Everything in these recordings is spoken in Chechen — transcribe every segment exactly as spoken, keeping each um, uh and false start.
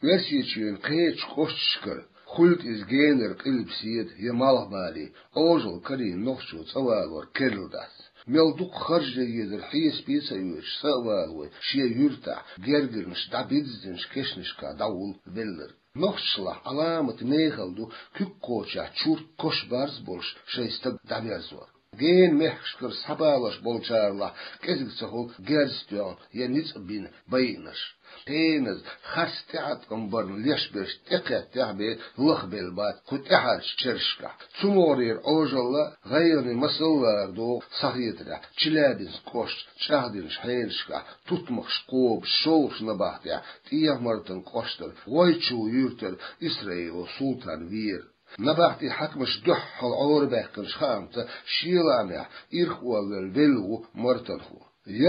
Оьрсийчоьнан кхечу кӀошташкара, хуьлда иза генара къилба седа я малхбале, Ӏожалла карийна нохчо цӀа валор керла дац. Мел дукха харж ян езар хьесапе а ца оьцуш, са а валавой, шен юьртахь, гергарнаш дӀабирзинчу кешнашкахь дӀавулла велларг. Нохчашлахь Ӏаламат мехала ду куьг кхочехь чурт кош-барз болуш шайн стаг дӀаберзор. Генан мехкашкара схьабалош болчарах кӀезиг ца хуьлу герз тоьхна я ницкъ бина байинарш. Пеназа, харц тӀеӀаткъам барна леш берш тӀекхеттехь бен лахбелла бац кху тӀаьхьарчу чергашкахь. Цу могӀарера Ӏожалла а, гӀайгӀане масал а ларадогӀу схьахетарехь Челябинск кӀоштан чӀагӀдинчу хьелашкахь тутмакхаш кхобуш шолгӀачу набахтехь ТӀехьа-Мартан кӀоштара ГӀойчул юьртара Исраилов Султан вийра. Набахти хьаькамаш дуьххьал Ӏорабаьккхинчу хаамца шен лаамехь ирхъолвелла велла ву мартанхо.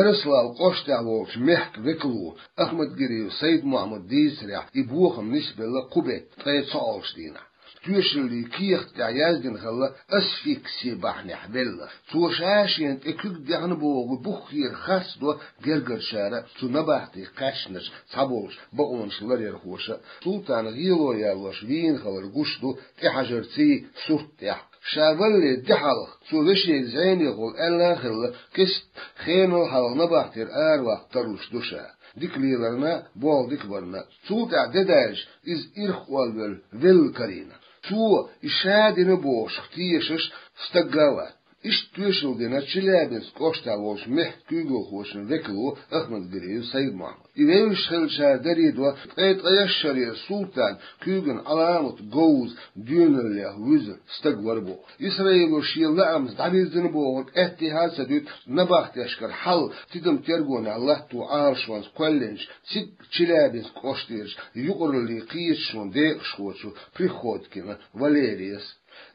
Ярославль кӀоштехь волчу мехкан векало Ахмадгириев Сайд-Мохьмада дийцарехь, и бохам нисбелла кху беттан ткъе цхьоалгӀачу дийнахь. Тоьшаллийн кехат тӀехь яздина хилла асфикси бахьанехь велла. Цо ша-шена тӀе куьг дехна бохург буххера харцдо гергарчара а, цу набахтех кхаьчначу цхьаболчу бакъонаш ларъярхоша а. Султан гӀело ялош вийна хилар гуш ду тӀехьажарций сурт тӀехь. Ша валале де хьалха, цо вешега зӀенехула аьлла а хилла, кеста хенал хьалха набахтера араваккха тарлуш ду ша. Дика леларна а, болх дика барна а. Цул тӀаьхьа де даьлча, иза ирхъолвелла велла карийна. Цо и ша дина бохуш тешаш стаг а вац. Иштта тоьшалла дина Челябинск кӀоштахь волчу мехкан куьйгалхочун векало Ахмадгириев Сайд-Мохьмада. И вевзаш хиллачара даре до, ткъе ткъайесна шарера Султан куьйган Ӏаламат говза доьналлех вуьзна стаг вара боху. Исраило шен лаамца дӀавирзина бохург аьттехьа а ца дуьту набахтешкара хьал тидам тергонехь латто Ӏалашонца кхоьллинчу, цига Челябинск кӀоштарчу юкъараллин кхеташонан декъашхочо Приходькина Валерияс.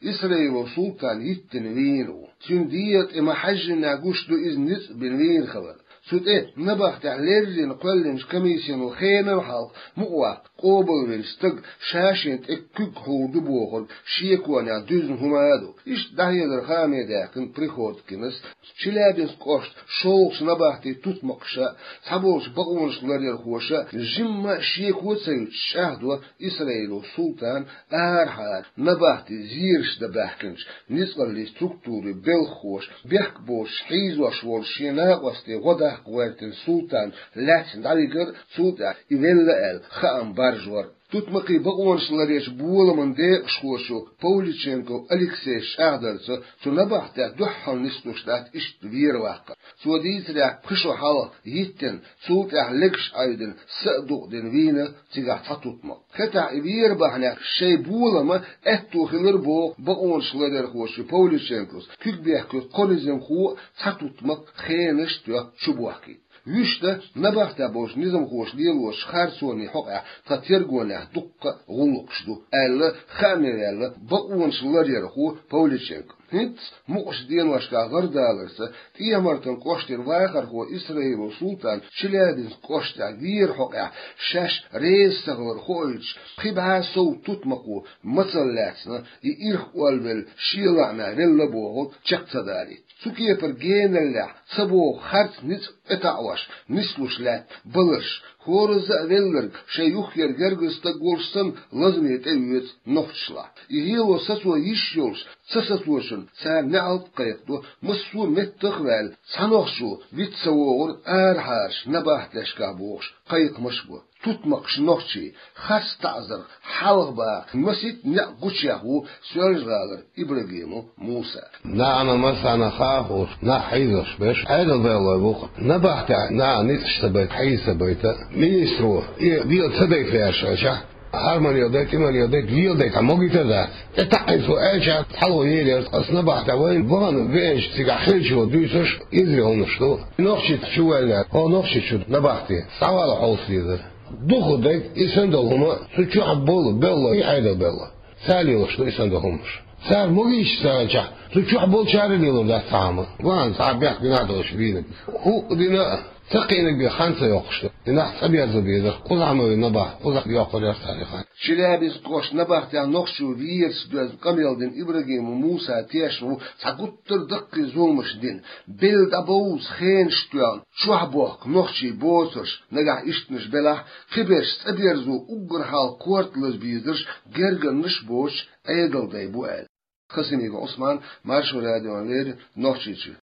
Исраилов Султан йиттина вийна ву. Цуьнан дегӀан тӀе ма-хьаьжжинехь гуш ду иза ницкъ бина вийна хилар. Цу тӀе набахтехь леррина кхоьллинчу комиссино хенал хьалха мукъаваккха къобалвина стаг ша-шена тӀе куьг хьур ду бохург шеконехь дуьзна хӀума а ду. Иштта дӀахьедар хааме даьккхина Приходькинас, Челябинск кӀоштан шолгӀачу набахтин тутмакхаша а, цхьаболчу бакъонаш ларъярхоша а жимма а шеко ца юьтуш чӀагӀдо Исраилов Султан арахьара набахти зераш дан баьхкинчу ницкъаллин структурийн белхахоша, бехк боцуш хьийзош волчу шен накъостий гӀо даккха гӀоьртина Султан лаьцна дӀавигар а, цул тӀаьхьа и велла аьлла хаам баржор а. Тутмакхийн бакъонаш ларъечу боламан декъашхочо Павличенков Алексейс чӀагӀдарца, цу набахтехь дуьххьал нислуш дац иштта вер ваккхар. Цо дийцарехь, пхи шо хьалха йиттина, цул тӀаьхьа легаш Ӏайдина, са а дукъдина вийна цигахь цхьа тутмакх. Хетахь и вер бахьанехь шайн болама аьтто хилар боху бакъонаш ларъярхочо Павличенковс, куьг бехкочу кхо низамхо а, цхьа тутмакх хенаш а тоьхна чубохкийта. Вуьшта набахтехь болчу низамхоша лелочу харцонийн хьокъехь тхан тергонехь дуккха а гӀуллакхаш ду, аьлла, хааме ваьлла бакъонаш ларъярхо Павличенков. ХӀинца мукъачу деношкахь гӀардаларца ТӀехьа-Мартан кӀоштара вахархо Исраилов Султан Челябинск кӀоштехь вер хьокъехь шаьш реза ца хилар хоуьйтуш, пхи бӀе сов тутмакхо мацалла лаьцна, и ирхъолвелла шен лаамехь велла бохург чекх ца далийта. Цу кепара геналлехь ца боху харц ницкъ тӀетаӀош нислуш лаьтта баларш, хӀоразза а велларг шайн юххера гергара стаг волуш санна лазаме тӀеоьцу нохчашлахь. И гӀело сацо йиш йолуш ца сацочунна царна неӀалт а кхайкхадо, массо а меттах а ваьлла, цхьа нохчо виц ца вогӀура арахьарчу набахтешкахь бохуш кхайкхамаш а бо. Тутмакхаш нохчий, харц таӀзарх хьалхабаха масийтта некъ гучуяхна ву Соьлжа-ГӀалара Ибрагимов Муса. НаӀана массарна хаа а хууш, нах хьийзош берш Ӏедалбевллой бу-кх. Набахтехь наха ницкъаш ца байта, хьийза ца байта, министро и дела ца дайта лаьрша хилча, хӀара ма леладайта, и ма леладайта, леладайта хьан могуьйтур а дац. ТӀетаӀийна цо аьлча, цхьалло елира, аса набахтехь вайна вахана веанчу цигахь хиллачо дуьйцурш эзар хӀуманаш ду. Нохчийчу чу ваьллехь, хьо Нохчийчу набахте схьавала хьовса дезара. Дукха дайта и санна долу хӀума, цу чохь болу беллой, и Ӏедалбевллой. Цара лелош ду и санна долу хӀуманаш. Цара могуьйтуш ца хилчахь, цу чохь болчара а лелор дац цхьа хӀума. Ван цхьа бехк динахь долуш вийна. ХӀуъа дина а, Даккхийнаг бен хан ца йоккхуш ду. И нах цӀаберзо безарх кхузахь ма вина набахт, кхузахь йоккхур яра царна и хан. Челябинск кӀоштан набахтехь нохчо верас доьзна къамел дина Ибрагимов Муса тешна ву цхьа гуттар а даккхий зуламаш дина, белла дӀабовза хенаш тоьхна, чохь бохку нохчий боцурш, нагахь ишттанаш белахь, кхиберш цӀаберзо уггар хьалха корта лаза безарш гергарнаш боцуш Ӏедалдай бу аьлла. Хасимиков Ӏусман, Маршо радиона леррина, Нохчийчуьра.